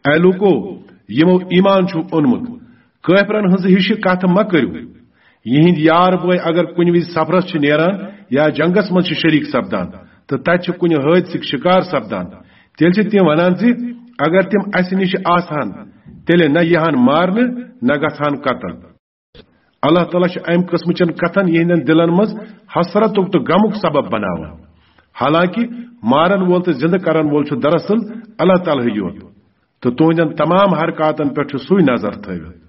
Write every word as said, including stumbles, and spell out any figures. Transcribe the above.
A لوٗکو، یِمو ایمان چھُ اوٚنمُت، کٲفرن ہٕنٛز ہِش کتھ مہ کٔرِو۔ یِہنٛدۍ یار بٲے اگر کُنہِ وِزِ سفرس چھِ نیران یا جنگس منٛز چھِ شریک سپدان تہٕ تتہِ چھِ کُنہِ حٲدثٕکۍ شکار سپدان، تیٚلہِ چھِ تِم ونان زِ اگر تِم اسہِ نِش آسہٕ ہن، تیٚلہِ نہ یِہن مارنہٕ، نہ گژھٕ ہن قتل۔ اللہ تعالیٰ چھُ امہِ قٕسمہٕ چٮ۪ن کتھن یِہنٛدٮ۪ن دِلن منٛز حسرتُک تہٕ غمُک سبب بناوان، حالانکہ مارن وول تہٕ زندٕ کرن وول چھُ دراصل اللہ تعالیٰ ہٕے یوت، تہٕ تُہنٛدٮ۪ن تمام حرکاتن پٮ۪ٹھ چھُ سُے نظر تھٲوِتھ۔